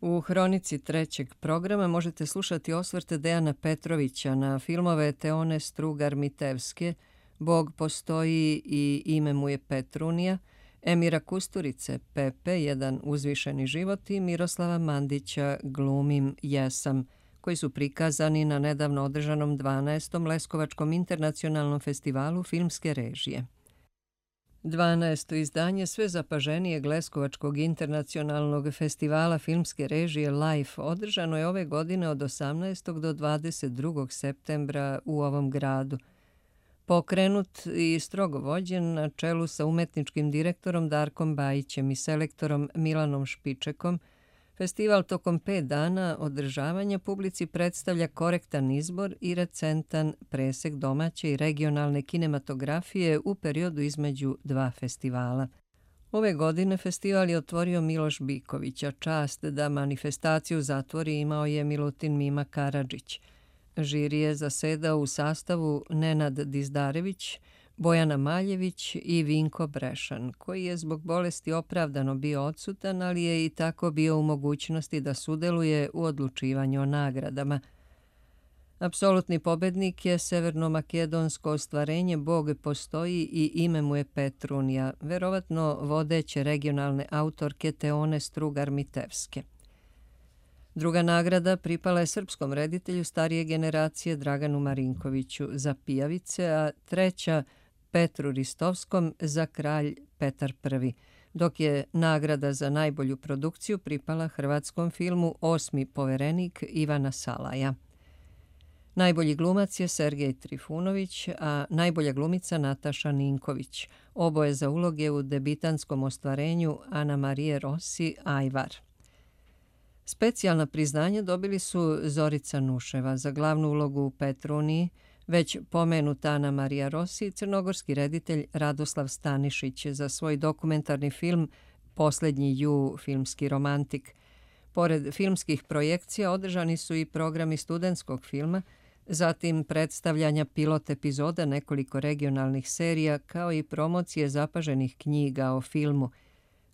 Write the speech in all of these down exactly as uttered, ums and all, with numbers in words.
U hronici trećeg programa možete slušati osvrte Dejana Petrovića na filmove Teone Strugar-Mitevske, Bog postoji i ime mu je Petrunija, Emira Kusturice, Pepe, jedan uzvišeni život i Miroslava Mandića, Glumim jesam, koji su prikazani na nedavno održanom dvanaestom Leskovačkom internacionalnom festivalu filmske režije. dvanaesto izdanje sve zapaženijeg Leskovačkog internacionalnog festivala filmske režije Life održano je ove godine od osamnaestog do dvadeset drugog septembra u ovom gradu. Pokrenut i strogo vođen na čelu sa umetničkim direktorom Darkom Bajićem i selektorom Milanom Špičekom, festival tokom pet dana održavanja publici predstavlja korektan izbor i recentan presek domaće i regionalne kinematografije u periodu između dva festivala. Ove godine festival je otvorio Miloš Biković, a čast da manifestaciju zatvori imao je Milutin Mima Karadžić. Žiri je zasedao u sastavu Nenad Dizdarević, Bojana Maljević i Vinko Brešan, koji je zbog bolesti opravdano bio odsutan, ali je i tako bio u mogućnosti da sudeluje u odlučivanju o nagradama. Apsolutni pobednik je severno-makedonsko ostvarenje Bog postoji i ime mu je Petrunija, verovatno vodeće regionalne autorke Teone Strugar-Mitevske. Druga nagrada pripala je srpskom reditelju starije generacije Draganu Marinkoviću za Pijavice, a treća Petru Ristovskom za Kralj Petar Prvi, dok je nagrada za najbolju produkciju pripala hrvatskom filmu Osmi poverenik Ivana Salaja. Najbolji glumac je Sergej Trifunović, a najbolja glumica Nataša Ninković, oboje za uloge u debitanskom ostvarenju Ana Marije Rossi Ajvar. Specijalna priznanja dobili su Zorica Nuševa za glavnu ulogu u Petruniji, već pomenuta Ana Marija Rossi i crnogorski reditelj Radoslav Stanišić za svoj dokumentarni film Poslednji ju, filmski romantik. Pored filmskih projekcija održani su i programi studentskog filma, zatim predstavljanja pilot epizoda nekoliko regionalnih serija kao i promocije zapaženih knjiga o filmu.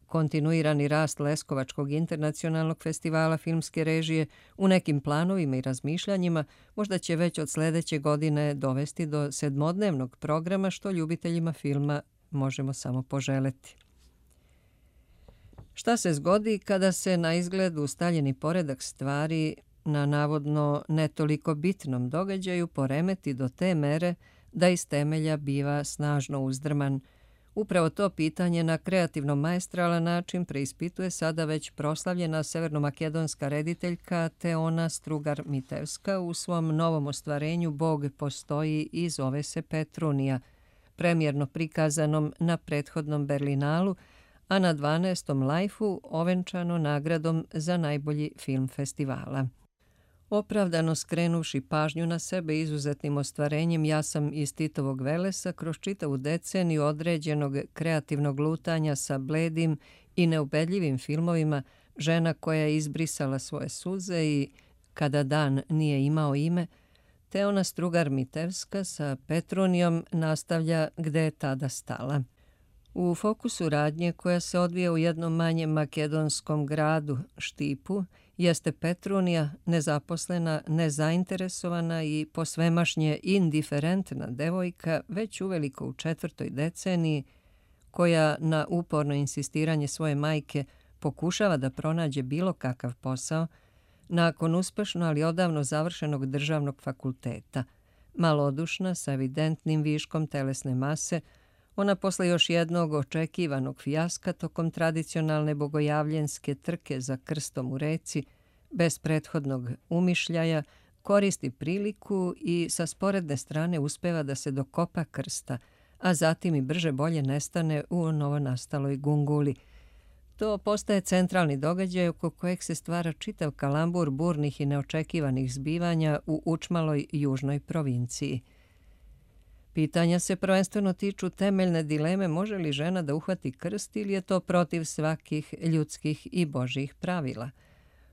Kontinuirani rast Leskovačkog internacionalnog festivala filmske režije u nekim planovima i razmišljanjima možda će već od sljedeće godine dovesti do sedmodnevnog programa, što ljubiteljima filma možemo samo poželeti. Šta se zgodi kada se na izgled ustaljeni poredak stvari na navodno ne toliko bitnom događaju poremeti do te mere da iz temelja biva snažno uzdrman? Upravo to pitanje na kreativno maestralan način preispituje sada već proslavljena severnomakedonska rediteljka Teona Strugar-Mitevska u svom novom ostvarenju Bog postoji i zove se Petrunija, premijerno prikazanom na prethodnom Berlinalu, a na dvanaestom Lajfu ovenčano nagradom za najbolji film festivala. Opravdano skrenuši pažnju na sebe izuzetnim ostvarenjem Ja sam iz Titovog Velesa kroz čitavu deceniju određenog kreativnog lutanja sa bledim i neubedljivim filmovima Žena koja je izbrisala svoje suze i Kada dan nije imao ime, Teona Strugar-Mitevska sa Petrunijom nastavlja gde je tada stala. U fokusu radnje koja se odvija u jednom manjem makedonskom gradu, Štipu, jeste Petrunija, nezaposlena, nezainteresovana i posvemašnje indiferentna devojka, već uveliko u četvrtoj deceniji, koja na uporno insistiranje svoje majke pokušava da pronađe bilo kakav posao, nakon uspešno ali odavno završenog državnog fakulteta. Malodušna, sa evidentnim viškom telesne mase, ona posle još jednog očekivanog fijaska tokom tradicionalne bogojavljenske trke za krstom u reci, bez prethodnog umišljaja, koristi priliku i sa sporedne strane uspeva da se dokopa krsta, a zatim i brže bolje nestane u novonastaloj gunguli. To postaje centralni događaj oko kojeg se stvara čitav kalambur burnih i neočekivanih zbivanja u učmaloj južnoj provinciji. Pitanja se prvenstveno tiču temeljne dileme može li žena da uhvati krst ili je to protiv svakih ljudskih i božjih pravila.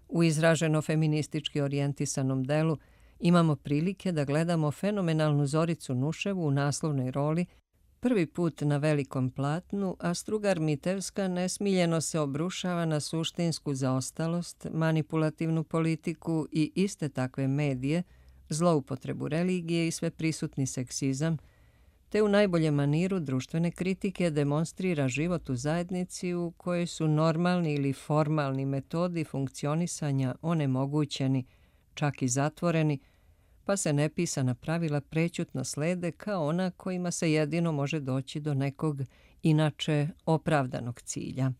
U izraženo feministički orijentisanom delu imamo prilike da gledamo fenomenalnu Zoricu Nuševu u naslovnoj roli, prvi put na velikom platnu, a Strugar Mitevska nesmiljeno se obrušava na suštinsku zaostalost, manipulativnu politiku i iste takve medije, zloupotrebu religije i sveprisutni seksizam, te u najboljem maniru društvene kritike demonstrira život u zajednici u kojoj su normalni ili formalni metodi funkcionisanja onemogućeni, čak i zatvoreni, pa se nepisana pravila prećutno slede kao ona kojima se jedino može doći do nekog inače opravdanog cilja.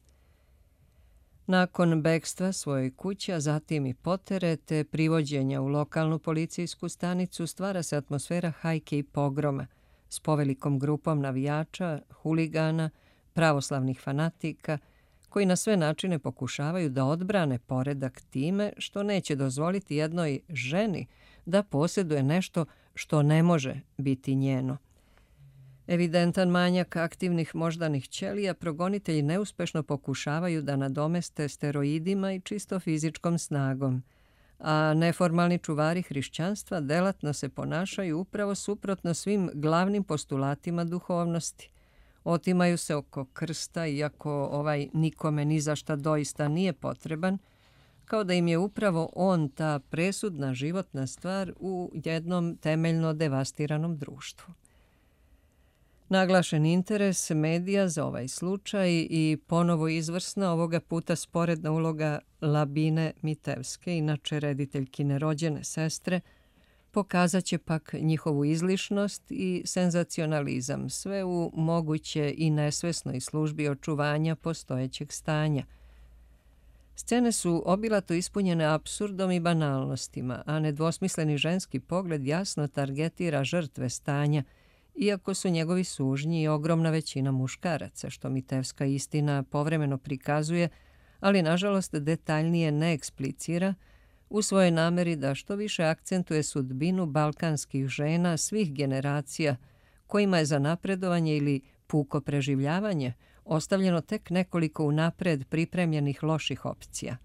Nakon bekstva svojoj kući, a zatim i potere te privođenja u lokalnu policijsku stanicu, stvara se atmosfera hajke i pogroma s povelikom grupom navijača, huligana, pravoslavnih fanatika, koji na sve načine pokušavaju da odbrane poredak time što neće dozvoliti jednoj ženi da posjeduje nešto što ne može biti njeno. Evidentan manjak aktivnih moždanih ćelija progonitelji neuspešno pokušavaju da nadomeste steroidima i čisto fizičkom snagom, a neformalni čuvari hrišćanstva delatno se ponašaju upravo suprotno svim glavnim postulatima duhovnosti. Otimaju se oko krsta, iako ovaj nikome ni za šta doista nije potreban, kao da im je upravo on ta presudna životna stvar u jednom temeljno devastiranom društvu. Naglašen interes medija za ovaj slučaj i ponovo izvrsna, ovoga puta sporedna uloga Labine Mitevske, inače rediteljkine rođene sestre, pokazat će pak njihovu izlišnost i senzacionalizam, sve u moguće i nesvesnoj službi očuvanja postojećeg stanja. Scene su obilato ispunjene apsurdom i banalnostima, a nedvosmisleni ženski pogled jasno targetira žrtve stanja, iako su njegovi sužnji i ogromna većina muškaraca, što Mitevska istina povremeno prikazuje, ali nažalost detaljnije ne eksplicira, u svojoj nameri da što više akcentuje sudbinu balkanskih žena svih generacija, kojima je za napredovanje ili puko preživljavanje ostavljeno tek nekoliko unapred pripremljenih loših opcija.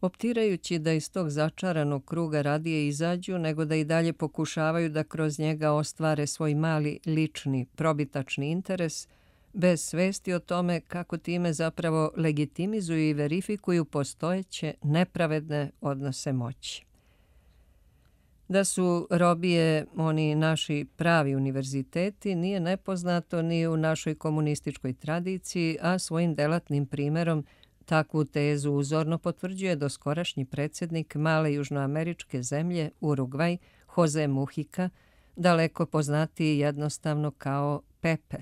Optirajući da iz tog začaranog kruga radije izađu, nego da i dalje pokušavaju da kroz njega ostvare svoj mali lični probitačni interes, bez svesti o tome kako time zapravo legitimizuju i verifikuju postojeće nepravedne odnose moći. Da su robije oni naši pravi univerziteti nije nepoznato ni u našoj komunističkoj tradiciji, a svojim delatnim primerom takvu tezu uzorno potvrđuje doskorašnji predsjednik male južnoameričke zemlje Urugvaj, Jose Mujica, daleko poznatiji jednostavno kao Pepe.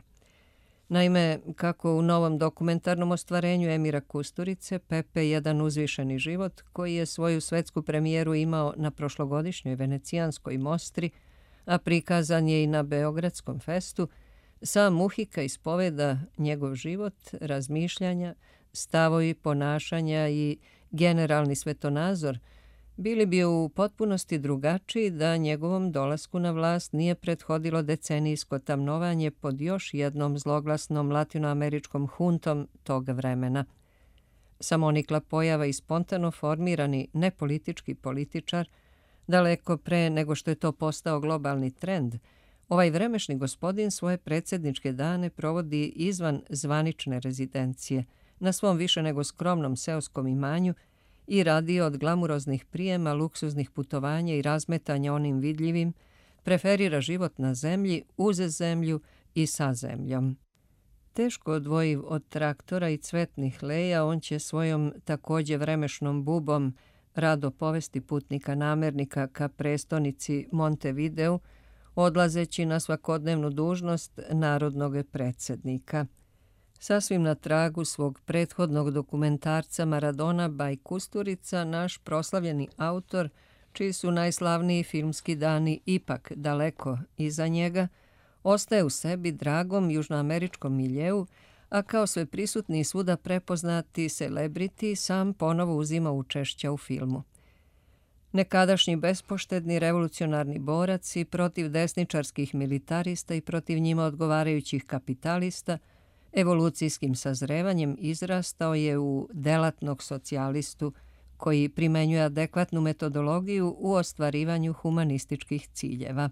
Naime, kako u novom dokumentarnom ostvarenju Emira Kusturice, Pepe je jedan uzvišeni život koji je svoju svetsku premijeru imao na prošlogodišnjoj venecijanskoj mostri, a prikazan je i na Beogradskom festu, sam Mujica ispoveda njegov život, razmišljanja, stavovi ponašanja i generalni svetonazor bili bi u potpunosti drugačiji da njegovom dolasku na vlast nije prethodilo decenijsko tamnovanje pod još jednom zloglasnom latinoameričkom huntom tog vremena. Samonikla pojava i spontano formirani nepolitički političar, daleko pre nego što je to postao globalni trend, ovaj vremešni gospodin svoje predsjedničke dane provodi izvan zvanične rezidencije, na svom više nego skromnom seoskom imanju i radi od glamuroznih prijema, luksuznih putovanja i razmetanja onim vidljivim, preferira život na zemlji, uz zemlju i sa zemljom. Teško odvojiv od traktora i cvetnih leja, on će svojom također vremešnom bubom rado povesti putnika namernika ka prestonici Montevideu, odlazeći na svakodnevnu dužnost narodnog predsjednika. Sasvim na tragu svog prethodnog dokumentarca Maradona by Kusturica, naš proslavljeni autor, čiji su najslavniji filmski dani ipak daleko iza njega, ostaje u sebi dragom južnoameričkom miljeu, a kao sve prisutni i svuda prepoznati celebrity sam ponovo uzima učešća u filmu. Nekadašnji bespoštedni revolucionarni borac i protiv desničarskih militarista i protiv njima odgovarajućih kapitalista, evolucijskim sazrevanjem izrastao je u delatnog socijalistu koji primenjuje adekvatnu metodologiju u ostvarivanju humanističkih ciljeva.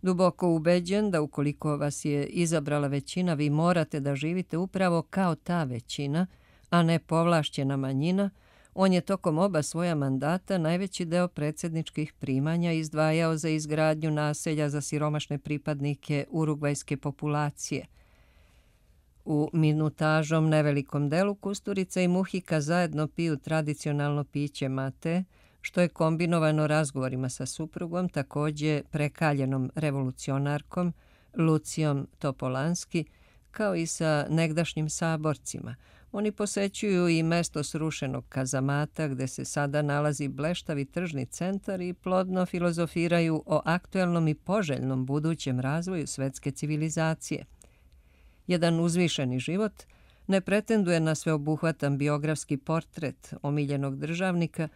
Duboko ubeđen da ukoliko vas je izabrala većina, vi morate da živite upravo kao ta većina, a ne povlašćena manjina, on je tokom oba svoja mandata najveći deo predsjedničkih primanja izdvajao za izgradnju naselja za siromašne pripadnike urugvajske populacije. U minutažom nevelikom delu Kusturica i Muhika zajedno piju tradicionalno piće mate, što je kombinovano razgovorima sa suprugom, također prekaljenom revolucionarkom Lucijom Topolanski, kao i sa negdašnjim saborcima. Oni posećuju i mesto srušenog kazamata gde se sada nalazi bleštavi tržni centar i plodno filozofiraju o aktuelnom i poželjnom budućem razvoju svetske civilizacije. Jedan uzvišeni život ne pretenduje na sveobuhvatan biografski portret omiljenog državnika,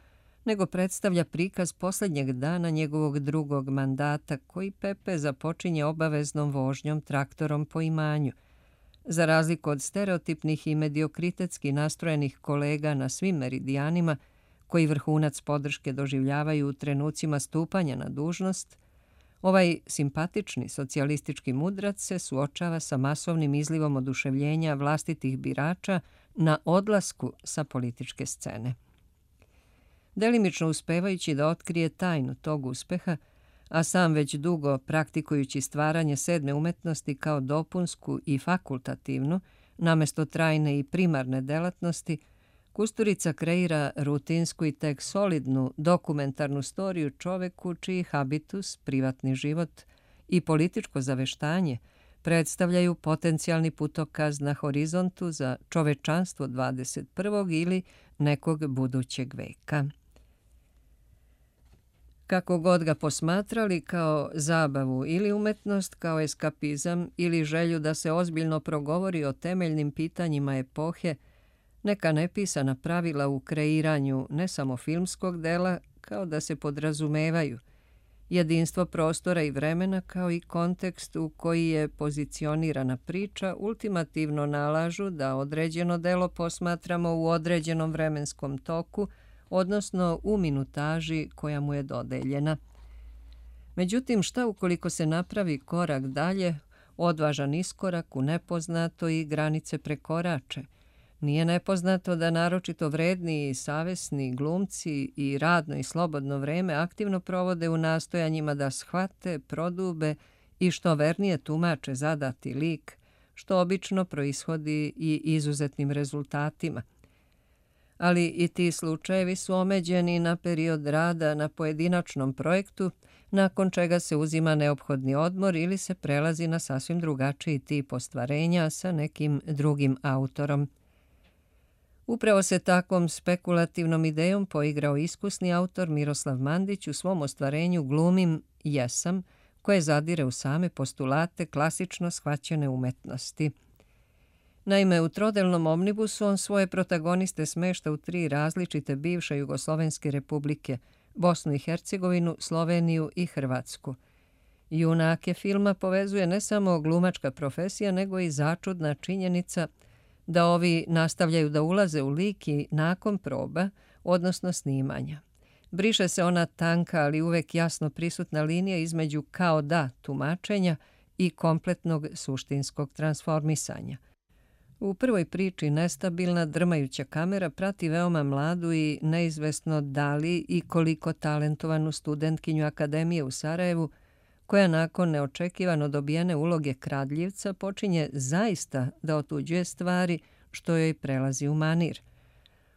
nego predstavlja prikaz posljednjeg dana njegovog drugog mandata, koji Pepe započinje obaveznom vožnjom traktorom po imanju. Za razliku od stereotipnih i mediokritetski nastrojenih kolega na svim meridijanima, koji vrhunac podrške doživljavaju u trenucima stupanja na dužnost, ovaj simpatični socijalistički mudrac se suočava sa masovnim izlivom oduševljenja vlastitih birača na odlasku sa političke scene. Delimično uspevajući da otkrije tajnu tog uspeha, a sam već dugo praktikujući stvaranje sedme umetnosti kao dopunsku i fakultativnu, namesto trajne i primarne delatnosti, Kusturica kreira rutinsku i tek solidnu dokumentarnu storiju čoveku čiji habitus, privatni život i političko zaveštanje predstavljaju potencijalni putokaz na horizontu za čovečanstvo dvadeset prvog ili nekog budućeg veka. Kako god ga posmatrali, kao zabavu ili umetnost, kao eskapizam ili želju da se ozbiljno progovori o temeljnim pitanjima epohe, neka nepisana pravila u kreiranju ne samo filmskog dela, kao da se podrazumevaju, jedinstvo prostora i vremena kao i kontekst u koji je pozicionirana priča ultimativno nalažu da određeno delo posmatramo u određenom vremenskom toku, odnosno u minutaži koja mu je dodeljena. Međutim, šta ukoliko se napravi korak dalje, odvažan iskorak u nepoznato i granice prekorače? Nije nepoznato da naročito vredni i savesni glumci i radno i slobodno vreme aktivno provode u nastojanjima da shvate, prodube i što vernije tumače zadati lik, što obično proishodi i izuzetnim rezultatima. Ali i ti slučajevi su omeđeni na period rada na pojedinačnom projektu, nakon čega se uzima neophodni odmor ili se prelazi na sasvim drugačiji tip ostvarenja sa nekim drugim autorom. Upravo se takvom spekulativnom idejom poigrao iskusni autor Miroslav Mandić u svom ostvarenju Glumim jesam, koje zadire u same postulate klasično shvaćene umetnosti. Naime, u trodelnom omnibusu on svoje protagoniste smešta u tri različite bivše jugoslovenske republike, Bosnu i Hercegovinu, Sloveniju i Hrvatsku. Junake filma povezuje ne samo glumačka profesija, nego i začudna činjenica da ovi nastavljaju da ulaze u lik i nakon proba, odnosno snimanja. Briše se ona tanka, ali uvek jasno prisutna linija između kao da tumačenja i kompletnog suštinskog transformisanja. U prvoj priči nestabilna, drmajuća kamera prati veoma mladu i neizvesno da li i koliko talentovanu studentkinju Akademije u Sarajevu, koja nakon neočekivano dobijene uloge kradljivca počinje zaista da otuđuje stvari, što joj prelazi u manir.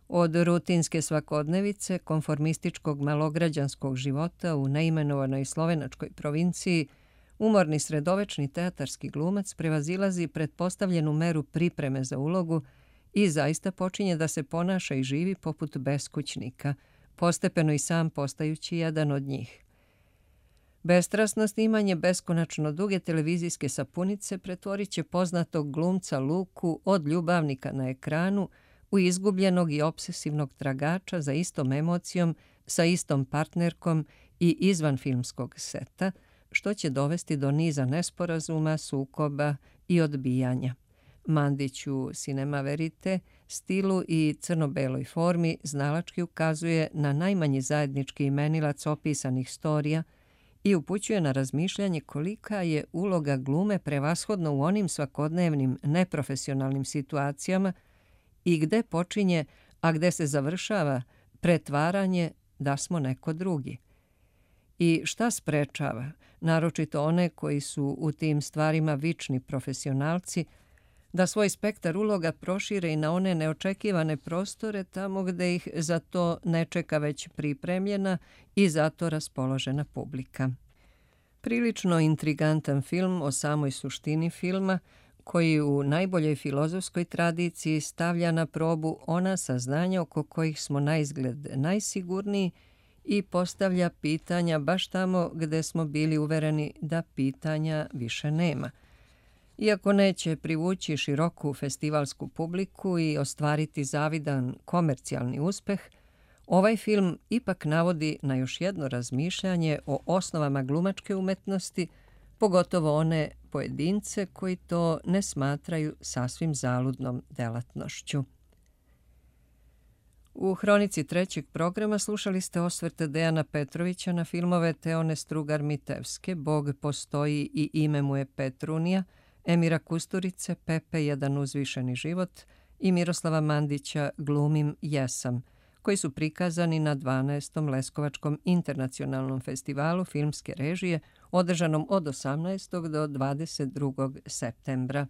Od rutinske svakodnevice, konformističkog malograđanskog života u neimenovanoj slovenačkoj provinciji, umorni sredovečni teatarski glumac prevazilazi pretpostavljenu meru pripreme za ulogu i zaista počinje da se ponaša i živi poput beskućnika, postepeno i sam postajući jedan od njih. Bestrasno snimanje beskonačno duge televizijske sapunice pretvorit će poznatog glumca Luku od ljubavnika na ekranu u izgubljenog i obsesivnog tragača za istom emocijom, sa istom partnerkom i izvan filmskog seta, što će dovesti do niza nesporazuma, sukoba i odbijanja. Mandić u Cinema Verite, stilu i crno-beloj formi znalački ukazuje na najmanji zajednički imenilac opisanih storija i upućuje na razmišljanje kolika je uloga glume prevashodno u onim svakodnevnim neprofesionalnim situacijama i gde počinje, a gde se završava pretvaranje da smo neko drugi. I šta sprečava, naročito one koji su u tim stvarima vični profesionalci, da svoj spektar uloga prošire i na one neočekivane prostore tamo gde ih za to ne čeka već pripremljena i zato raspoložena publika. Prilično intrigantan film o samoj suštini filma, koji u najboljoj filozofskoj tradiciji stavlja na probu ona saznanja oko kojih smo naizgled najsigurniji i postavlja pitanja baš tamo gde smo bili uvereni da pitanja više nema. Iako neće privući široku festivalsku publiku i ostvariti zavidan komercijalni uspeh, ovaj film ipak navodi na još jedno razmišljanje o osnovama glumačke umetnosti, pogotovo one pojedince koji to ne smatraju sasvim zaludnom delatnošću. U hronici trećeg programa slušali ste osvrte Dejana Petrovića na filmove Teone Strugar-Mitevske Bog postoji i ime mu je Petrunija, Emira Kusturice Pepe jedan uzvišeni život i Miroslava Mandića Glumim jesam, koji su prikazani na dvanaestom Leskovačkom internacionalnom festivalu filmske režije održanom od osamnaestog do dvadeset drugog septembra.